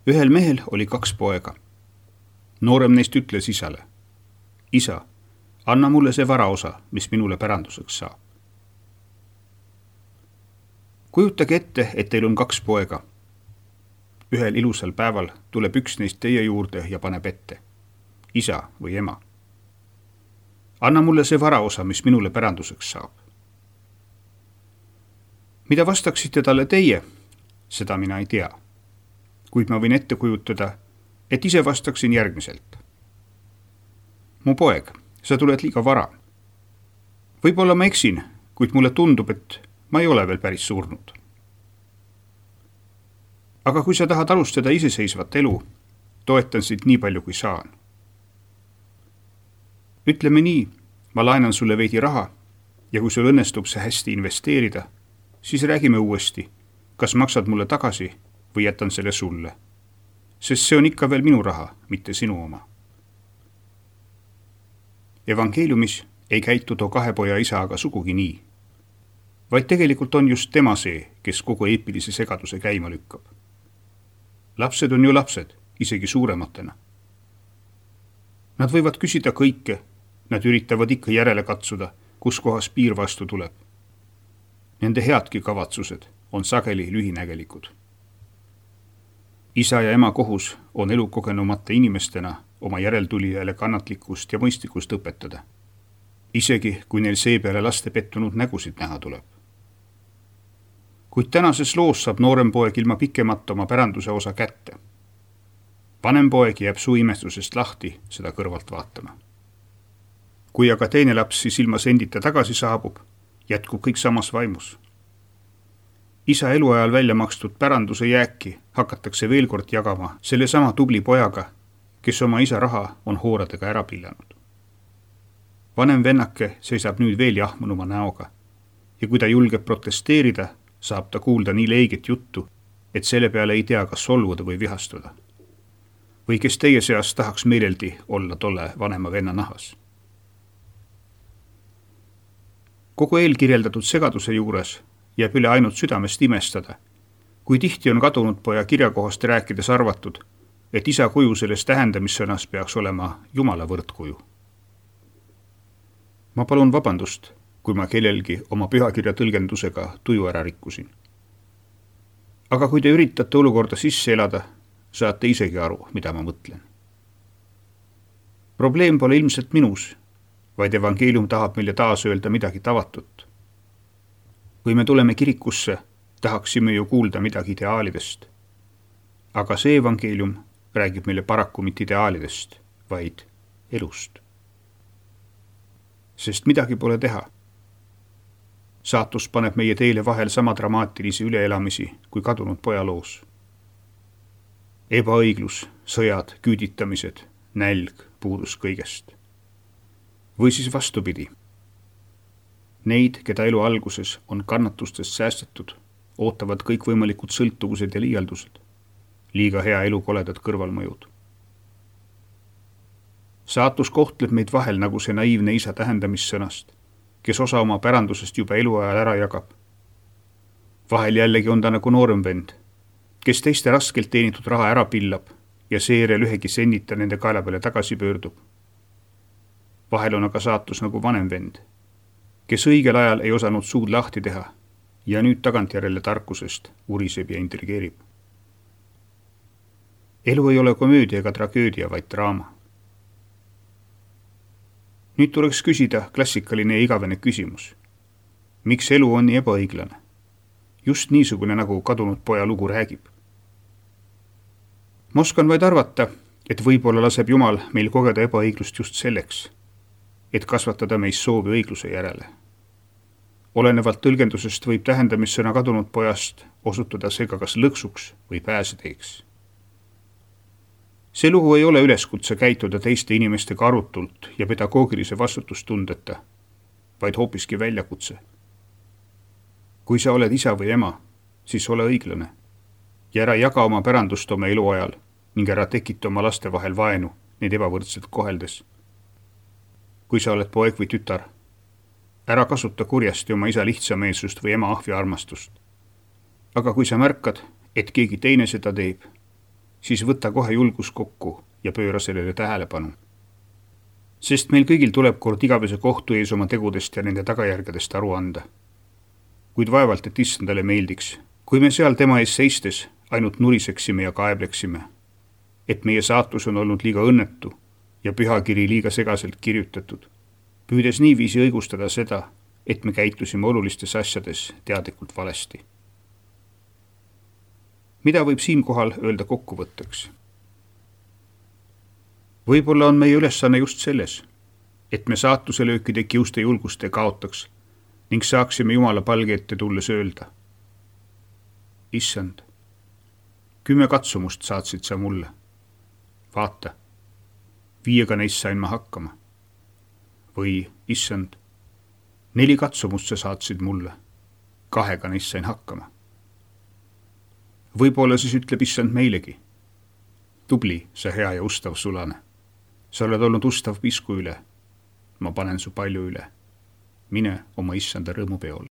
Ühel mehel oli 2 poega. Noorem neist ütles isale: isa, anna mulle see varaosa, mis minule päranduseks saab. Kujutage ette, et teil on 2 poega. Ühel ilusal päeval tuleb üks neist teie juurde ja paneb ette: isa või ema, anna mulle see varaosa, mis minule päranduseks saab. Mida vastaksite talle teie, seda mina ei tea. Kuid ma võin ette kujutada, et ise vastaksin järgmiselt: mu poeg, sa tuled liiga vara. Võib-olla ma eksin, kuid mulle tundub, et ma ei ole veel päris surnud. Aga kui sa tahad alustada iseseisvat elu, toetan sind nii palju, kui saan. Ütleme nii, ma laenan sulle veidi raha ja kui sul õnnestub see hästi investeerida, siis räägime uuesti, kas maksad mulle tagasi või jätan selle sulle. Sest see on ikka veel minu raha, mitte sinu oma. Evangeeliumis ei käitu too 2 poja isa aga sugugi nii, vaid tegelikult on just tema see, kes kogu eepilise segaduse käima lükkab. Lapsed on ju lapsed, isegi suurematena. Nad võivad küsida kõike, nad üritavad ikka järele katsuda, kus kohas piir vastu tuleb. Nende headki kavatsused on sageli lühinägelikud. Isa ja ema kohus on elukogenumate inimestena oma järeltulijale kannatlikkust ja mõistlikkust õpetada, isegi kui neil seepeale laste pettunud nägusid näha tuleb. Kuid tänases loos saab noorem poeg ilma pikemata oma päranduse osa kätte. Vanem poeg jääb suu imestusest lahti seda kõrvalt vaatama. Kui aga teine laps siis ilma sendita tagasi saabub, jätkub kõik samas vaimus. Isa eluajal välja makstud päranduse jääki hakatakse veel kord jagama selle sama tubli pojaga, kes oma isa raha on hooradega ära pillanud. Vanem vennake seisab nüüd veel jahmunuma näoga ja kui ta julgeb protesteerida, saab ta kuulda nii leiget juttu, et selle peale ei tea, kas solvuda või vihastuda. Või kes teie seas tahaks meeleldi olla tolle vanema venna nahas. Kogu eelkirjeldatud segaduse juures jääb üle ainult südamest imestada, kui tihti on kadunud poja kirjakohast rääkides arvatud, et isa kuju selles tähendamissõnas peaks olema Jumala võrdkuju. Ma palun vabandust, kui ma kellelgi oma pühakirja tõlgendusega tuju ära rikkusin. Aga kui te üritate olukorda sisse elada, saate isegi aru, mida ma mõtlen. Probleem pole ilmselt minus, vaid evangeelium tahab meile taas öelda midagi tavatut. Kui me tuleme kirikusse, tahaksime ju kuulda midagi ideaalidest. Aga see evangeelium räägib meile paraku mitte ideaalidest, vaid elust. Sest midagi pole teha. Saatus paneb meie teele vahel sama dramaatilisi üleelamisi kui kadunud poja loos. Ebaõiglus, sõjad, küüditamised, nälg, puudus kõigest. Või siis vastupidi. Neid, keda elu alguses on kannatustest säästetud, ootavad kõikvõimalikud sõltuvused ja liialdused, liiga hea elu koledad kõrvalmõjud. Saatus kohtleb meid vahel nagu see naiivne isa tähendamissõnast, kes osa oma pärandusest juba eluajal ära jagab. Vahel jällegi on ta nagu noorem vend, kes teiste raskelt teenitud raha ära pillab ja seejärel ühegi sennita nende kaela peale tagasi pöördub. Vahel on aga saatus nagu vanem vend, kes õigel ajal ei osanud suud lahti teha ja nüüd tagantjärele tarkusest uriseb ja intrigeerib. Elu ei ole komöödia ega tragöödia, vaid draama. Nüüd tuleks küsida klassikaline ja igavene küsimus. Miks elu on nii ebaõiglane? Just niisugune, nagu kadunud poja lugu räägib. Ma oskan vaid arvata, et võib-olla laseb Jumal meil kogeda ebaõiglust just selleks, et kasvatada meis soovi õigluse järele. Olenevalt tõlgendusest võib tähendamissõna kadunud pojast osutuda seega kas lõksuks või pääseteeks. See lugu ei ole üleskutse käituda teiste inimestega arutult ja pedagoogilise vastutustundeta, vaid hoopiski väljakutse. Kui sa oled isa või ema, siis ole õiglane ja ära jaga oma pärandust oma eluajal ning ära tekita oma laste vahel vaenu neid ebavõrdselt koheldes. Kui sa oled poeg või tütar, ära kasuta kurjasti oma isa lihtsameelsust või ema ahvi armastust. Aga kui sa märkad, et keegi teine seda teeb, siis võta kohe julgus kokku ja pööra sellele tähelepanu. Sest meil kõigil tuleb kord igavese kohtu ees oma tegudest ja nende tagajärgedest aru anda. Kuid vaevalt, et issandale meeldiks, kui me seal tema ees seistes ainult nuriseksime ja kaebleksime, et meie saatus on olnud liiga õnnetu ja pühakiri liiga segaselt kirjutatud, püüdes niiviisi õigustada seda, et me käitusime olulistes asjades teadlikult valesti. Mida võib siinkohal öelda kokkuvõtteks? Võib-olla on meie ülesanne just selles, et me saatuselöökide kiuste julgust ei kaotaks ning saaksime Jumala palge ette tulles öelda: Issand, 10 katsumust saatsid sa mulle. Vaata, 5 neist sain ma hakkama. Või, issand, 4 katsumust sa saatsid mulle. 2 neist sain hakkama. Võib-olla siis ütleb issand meilegi: tubli, sa hea ja ustav sulane. Sa oled olnud ustav pisku üle. Ma panen su palju üle. Mine oma issanda rõõmupeole.